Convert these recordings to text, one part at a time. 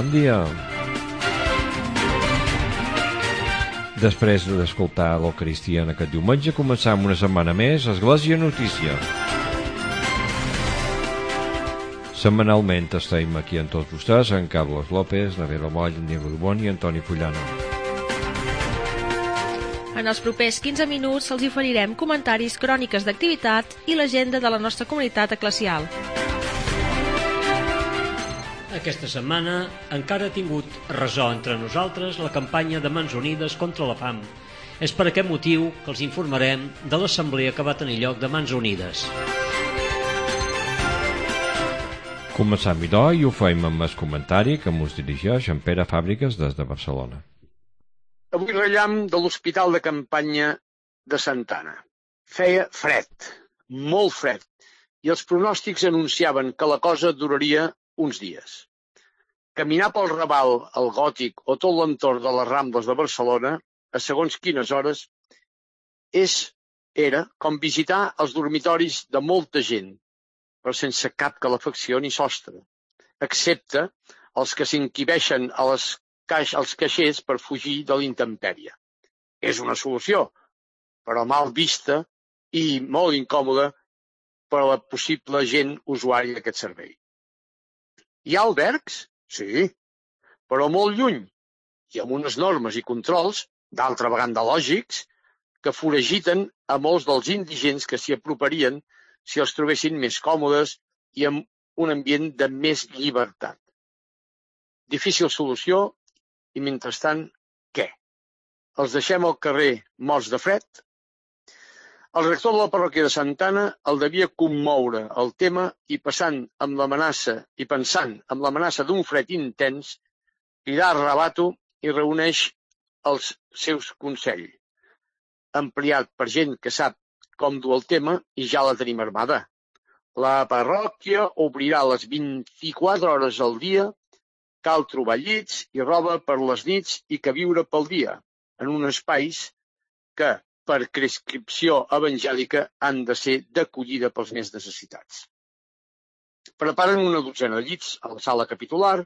Bon dia. Després d'escoltar l'Eucaristia en aquest diumenge, començam una setmana més Església Notícia. Setmanalment estem aquí amb tots vostès, en Carlos López, Navera Moll, Diego Dubón i Antoni Fullana. En els propers 15 minuts els oferirem comentaris, cròniques d'activitat i l'agenda de la nostra comunitat eclesial. Aquesta setmana encara ha tingut ressò entre nosaltres la campanya de Mans Unides contra la fam. És per aquest motiu que els informarem de l'assemblea que va tenir lloc de Mans Unides. Començam idò i ho fem amb el comentari que ens dirigeix en Pere Fàbriques des de Barcelona. Avui rellam de l'hospital de campanya de Santa Anna. Feia fred, molt fred, i els pronòstics anunciaven que la cosa duraria uns dies. Caminar pel Raval, el Gòtic o tot l'entorn de les Rambles de Barcelona, a segons quines hores, era com visitar els dormitoris de molta gent, però sense cap calefacció ni sostre, excepte els que s'enquibeixen als caixers per fugir de l'intempèrie. És una solució, però mal vista i molt incòmoda per a la possible gent usuària d'aquest servei. Hi ha albergs? Sí, però molt lluny i amb unes normes i controls, d'altra vegada lògics, que foragiten a molts dels indigents que s'hi aproparien si els trobessin més còmodes i amb un ambient de més llibertat. Difícil solució i, mentrestant, què? Els deixem al carrer morts de fred? El rector de la parròquia de Santa Anna el devia commoure el tema i pensant amb l'amenaça d'un fred intens, cridar a Rabato i reuneix els seus consells, ampliat per gent que sap com dur el tema i ja la tenim armada. La parròquia obrirà les 24 hores al dia, cal trobar llits i roba per les nits i queviure pel dia, en uns espais que, per prescripció evangèlica, han de ser d'acollida pels més necessitats. Preparen una dotzena de llits a la sala capitular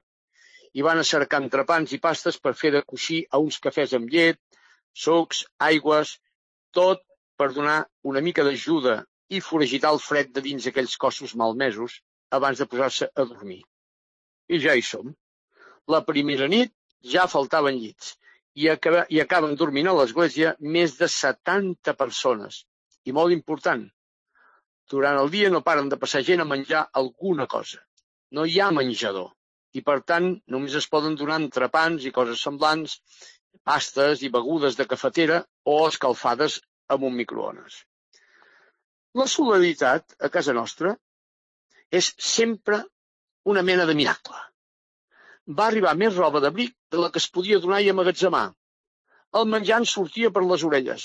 i van a cercar entrepans i pastes per fer de coixí a uns cafès amb llet, sucs, aigües, tot per donar una mica d'ajuda i foragitar el fred de dins aquells cossos malmesos abans de posar-se a dormir. I ja hi som. La primera nit ja faltaven llits i acaben dormint a l'església més de 70 persones. I molt important, durant el dia no paren de passar gent a menjar alguna cosa. No hi ha menjador i, per tant, només es poden donar entrepans i coses semblants, pastes i begudes de cafetera o escalfades amb un microones. La solidaritat a casa nostra és sempre una mena de miracle. Va arribar més roba d'abric de la que es podia donar i emmagatzemar. El menjar ens sortia per les orelles.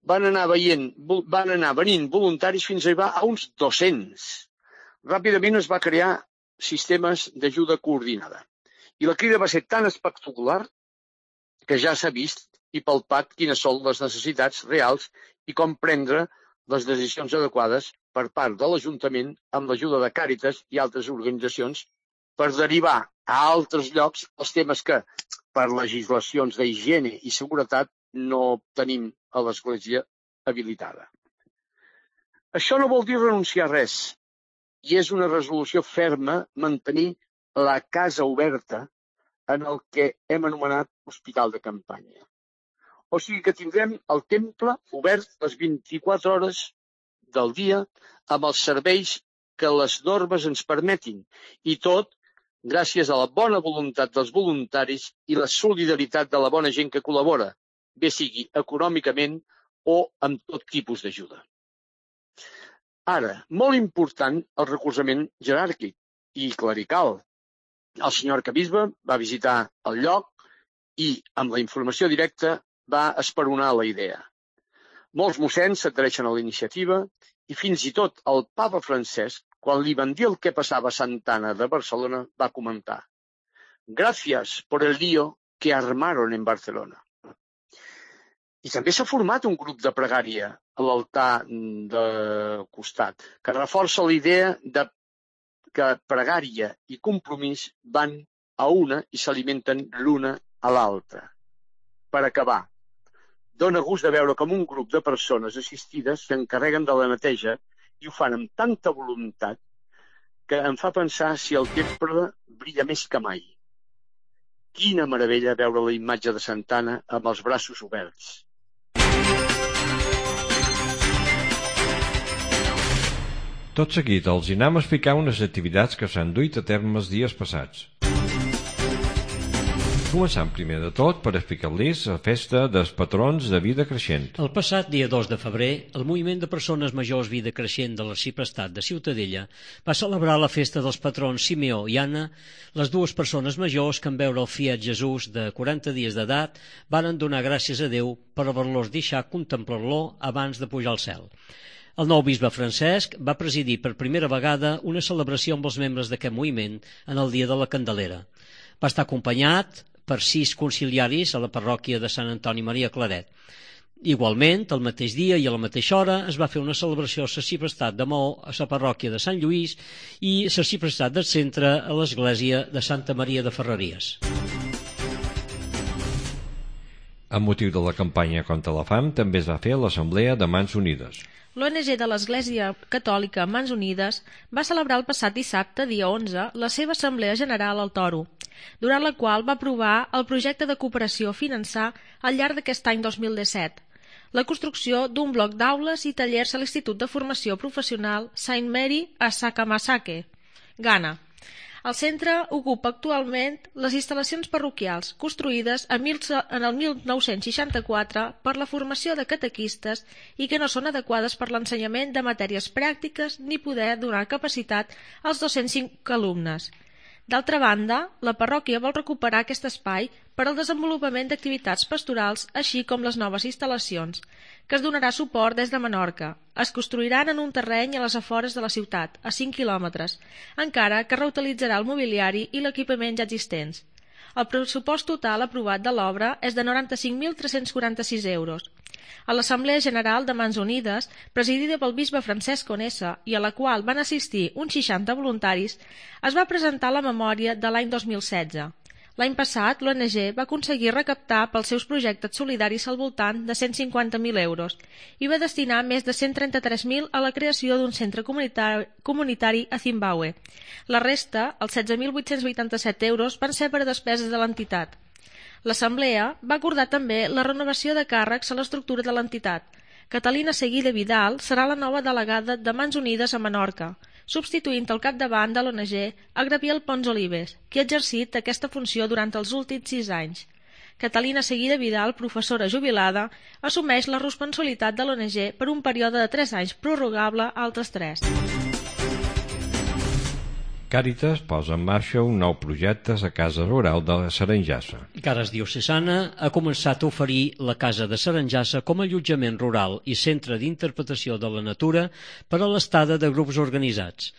Van anar venint voluntaris fins a arribar a uns 200. Ràpidament es va crear sistemes d'ajuda coordinada. I la crida va ser tan espectacular que ja s'ha vist i palpat quines són les necessitats reals i com prendre les decisions adequades per part de l'Ajuntament amb l'ajuda de Càritas i altres organitzacions per derivar a altres llocs els temes que, per legislacions d'higiene i seguretat, no tenim a l'església habilitada. Això no vol dir renunciar a res, i és una resolució ferma mantenir la casa oberta en el que hem anomenat hospital de campanya. O sigui que tindrem el temple obert les 24 hores del dia amb els serveis que les normes ens permetin, i tot gràcies a la bona voluntat dels voluntaris i la solidaritat de la bona gent que col·labora, bé sigui econòmicament o amb tot tipus d'ajuda. Ara, molt important el recolzament jeràrquic i clerical. El senyor arquebisbe va visitar el lloc i, amb la informació directa, va esperonar la idea. Molts mossens s'adhereixen a la iniciativa i fins i tot el papa Francesc, quan li van dir el que passava a Santa Anna de Barcelona, va comentar: «Gracias por el lío que armaron en Barcelona». I també s'ha format un grup de pregària a l'altar de costat, que reforça la idea de que pregària i compromís van a una i s'alimenten l'una a l'altra. Per acabar, dóna gust de veure com un grup de persones assistides s'encarreguen de la neteja i ho fan amb tanta voluntat que em fa pensar si el temple brilla més que mai. Quina meravella veure la imatge de Santa Anna amb els braços oberts. Tot seguit els anem a explicar unes activitats que s'han duit a terme els dies passats. Començant primer de tot per explicar-los la festa dels patrons de vida creixent. El passat dia 2 de febrer, el moviment de persones majors vida creixent de l'Arxiprestat de Ciutadella va celebrar la festa dels patrons Simeó i Anna. Les dues persones majors que en veure el fiat Jesús de 40 dies d'edat varen donar gràcies a Déu per haver-los deixat contemplar-lo abans de pujar al cel. El nou bisbe Francesc va presidir per primera vegada una celebració amb els membres d'aquest moviment en el dia de la Candelera. Va estar acompanyat per 6 conciliaris a la parròquia de Sant Antoni Maria Claret. Igualment, el mateix dia i a la mateixa hora es va fer una celebració a l'Arxiprestat de Maó, a la parròquia de Sant Lluís i a l'Arxiprestat del Centre a l'església de Santa Maria de Ferreries. Amb motiu de la campanya contra la fam també es va fer l'Assemblea de Mans Unides. L'ONG de l'Església Catòlica Mans Unides va celebrar el passat dissabte, dia 11, la seva Assemblea General al Toro, durant la qual va aprovar el projecte de cooperació a finançar al llarg d'aquest any 2017, la construcció d'un bloc d'aules i tallers a l'Institut de Formació Professional Saint Mary a Sakamasake, Ghana. El centre ocupa actualment les instal·lacions parroquials construïdes en el 1964 per la formació de catequistes i que no són adequades per l'ensenyament de matèries pràctiques ni poder donar capacitat als 205 alumnes. D'altra banda, la parròquia vol recuperar aquest espai per al desenvolupament d'activitats pastorals, així com les noves instal·lacions, que es donarà suport des de Menorca. Es construiran en un terreny a les afores de la ciutat, a 5 quilòmetres, encara que reutilitzarà el mobiliari i l'equipament ja existents. El pressupost total aprovat de l'obra és de 95.346 euros. A l'Assemblea General de Mans Unides, presidida pel bisbe Francesc Conesa i a la qual van assistir uns 60 voluntaris, es va presentar la memòria de l'any 2016. L'any passat, l'ONG va aconseguir recaptar pels seus projectes solidaris al voltant de 150.000 euros i va destinar més de 133.000 a la creació d'un centre comunitari a Zimbabue. La resta, els 16.887 euros, van ser per a despeses de l'entitat. L'Assemblea va acordar també la renovació de càrrecs a l'estructura de l'entitat. Catalina Seguida Vidal serà la nova delegada de Mans Unides a Menorca, substituint al capdavant de l'ONG a Gabriel Pons Olives, que ha exercit aquesta funció durant els últims 6 anys. Catalina Seguida Vidal, professora jubilada, assumeix la responsabilitat de l'ONG per un període de 3 anys prorrogable a altres 3. Càritas posa en marxa un nou projecte a Casa Rural de Saranjassa. Cares Diocesana ha començat a oferir la Casa de Saranjassa com a allotjament rural i centre d'interpretació de la natura per a l'estada de grups organitzats.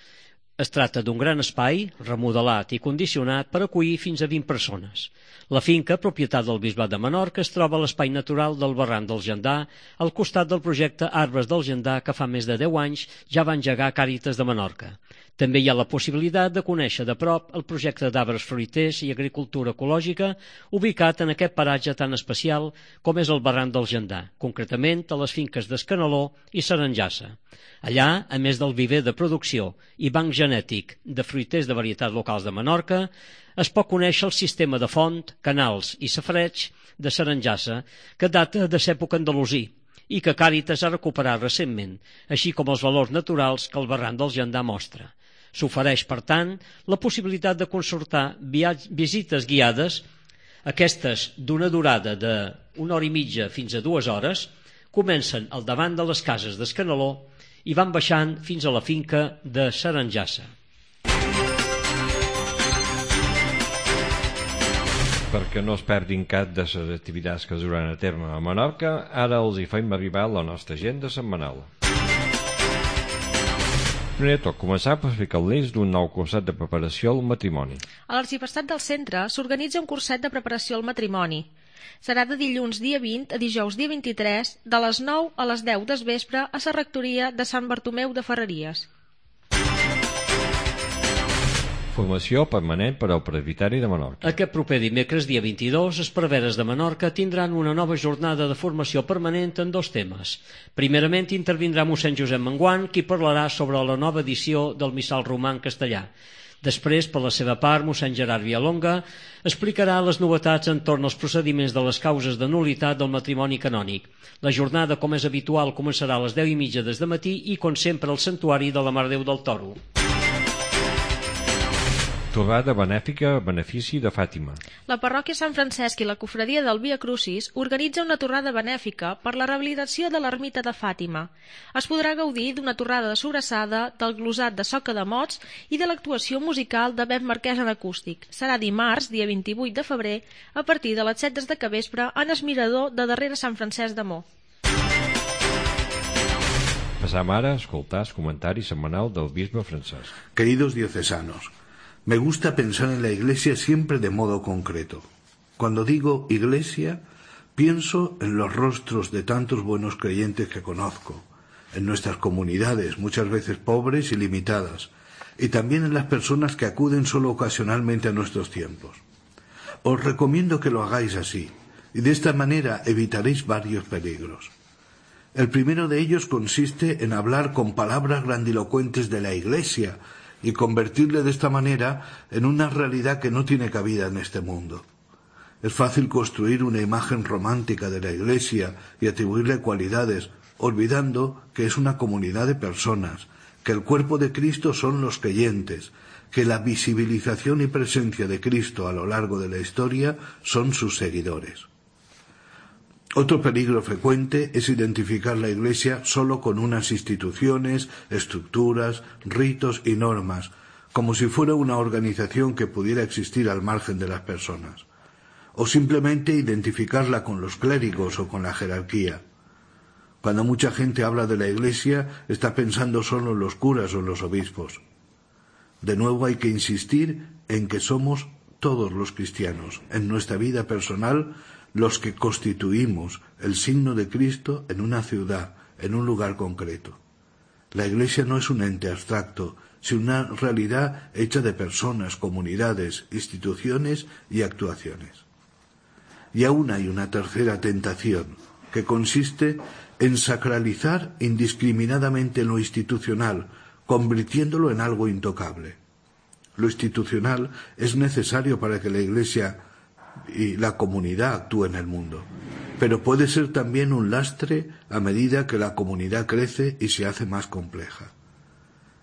Es tracta d'un gran espai, remodelat i condicionat per acollir fins a 20 persones. La finca, propietat del Bisbat de Menorca, es troba a l'espai natural del Barranc del Jandà, al costat del projecte Arbres del Jandà, que fa més de 10 anys ja va engegar Càritas de Menorca. També hi ha la possibilitat de conèixer de prop el projecte d'arbres fruiters i agricultura ecològica ubicat en aquest paratge tan especial com és el Barranc del Jandà, concretament a les finques d'Escanaló i Saranjassa. Allà, a més del viver de producció i banc genètic de fruiters de varietats locals de Menorca, es pot conèixer el sistema de font, canals i safareig de Saranjassa, que data de l'època andalusí i que Càritas ha recuperat recentment, així com els valors naturals que el Barranc del Jandà mostra. S'ofereix, per tant, la possibilitat de consultar visites guiades, aquestes d'una durada d'1 hora i mitja fins a 2 hores, comencen al davant de les cases d'Escanaló i van baixant fins a la finca de Saranjassa. Perquè no es perdin cap de les activitats que es duran a terme a Menorca, ara els hi fem arribar la nostra agenda setmanal. Primer tot, començar per explicar-los d'un nou curset de preparació al matrimoni. A l'Arxiprestat del Centre s'organitza un curset de preparació al matrimoni. Serà de dilluns dia 20 a dijous dia 23, de les 9 a les 10 del vespre a la rectoria de Sant Bartomeu de Ferreries. Formació permanent per al presbiteri de Menorca. Aquest proper dimecres, dia 22, els preveres de Menorca tindran una nova jornada de formació permanent en 2 temes. Primerament intervindrà mossèn Josep Menguant, qui parlarà sobre la nova edició del Missal Romà en castellà. Després, per la seva part, mossèn Gerard Villalonga explicarà les novetats entorn als procediments de les causes de nul·litat del matrimoni canònic. La jornada, com és habitual, començarà a les 10:30 des de matí i, com sempre, al Santuari de la Mare de Déu del Toro. Torrada benèfica a benefici de Fàtima. La parròquia Sant Francesc i la cofradia del Via Crucis organitza una torrada benèfica per la rehabilitació de l'ermita de Fàtima. Es podrà gaudir d'una torrada de sobrassada, del glosat de soca de mots i de l'actuació musical de Bep Marquès en acústic. Serà dimarts, dia 28 de febrer, a partir de les 7 de capvespre en el mirador de darrere Sant Francesc de Mo. Passam ara a escoltar el comentari setmanal del bisbe Francesc. Queridos diocesanos, me gusta pensar en la Iglesia siempre de modo concreto. Cuando digo Iglesia, pienso en los rostros de tantos buenos creyentes que conozco, en nuestras comunidades, muchas veces pobres y limitadas, y también en las personas que acuden solo ocasionalmente a nuestros tiempos. Os recomiendo que lo hagáis así, y de esta manera evitaréis varios peligros. El primero de ellos consiste en hablar con palabras grandilocuentes de la Iglesia, y convertirle de esta manera en una realidad que no tiene cabida en este mundo. Es fácil construir una imagen romántica de la Iglesia y atribuirle cualidades, olvidando que es una comunidad de personas, que el cuerpo de Cristo son los creyentes, que la visibilización y presencia de Cristo a lo largo de la historia son sus seguidores. Otro peligro frecuente es identificar la Iglesia solo con unas instituciones, estructuras, ritos y normas, como si fuera una organización que pudiera existir al margen de las personas, o simplemente identificarla con los clérigos o con la jerarquía. Cuando mucha gente habla de la Iglesia, está pensando solo en los curas o en los obispos. De nuevo hay que insistir en que somos todos los cristianos, en nuestra vida personal, los que constituimos el signo de Cristo en una ciudad, en un lugar concreto. La Iglesia no es un ente abstracto, sino una realidad hecha de personas, comunidades, instituciones y actuaciones. Y aún hay una tercera tentación, que consiste en sacralizar indiscriminadamente lo institucional, convirtiéndolo en algo intocable. Lo institucional es necesario para que la Iglesia y la comunidad actúe en el mundo, pero puede ser también un lastre a medida que la comunidad crece y se hace más compleja.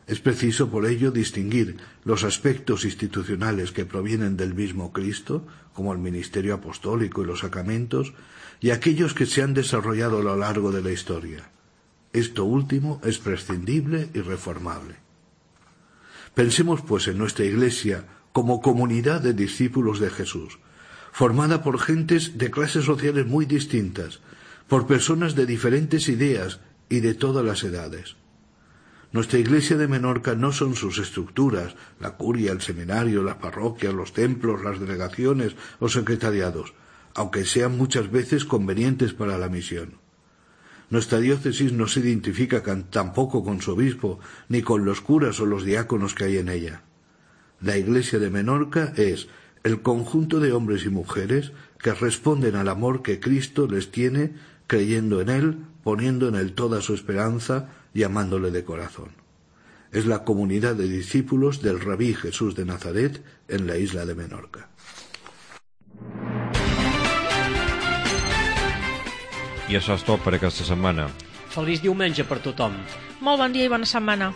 Es preciso por ello distinguir los aspectos institucionales que provienen del mismo Cristo, como el ministerio apostólico y los sacramentos, y aquellos que se han desarrollado a lo largo de la historia. Esto último es prescindible y reformable. Pensemos pues en nuestra Iglesia como comunidad de discípulos de Jesús, formada por gentes de clases sociales muy distintas, por personas de diferentes ideas y de todas las edades. Nuestra Iglesia de Menorca no son sus estructuras, la curia, el seminario, las parroquias, los templos, las delegaciones o secretariados, aunque sean muchas veces convenientes para la misión. Nuestra diócesis no se identifica tampoco con su obispo, ni con los curas o los diáconos que hay en ella. La Iglesia de Menorca es el conjunto de hombres y mujeres que responden al amor que Cristo les tiene, creyendo en Él, poniendo en Él toda su esperanza y amándole de corazón. Es la comunidad de discípulos del Rabí Jesús de Nazaret en la isla de Menorca. I això és tot per aquesta setmana. Feliç diumenge per tothom. Molt bon dia i bona setmana.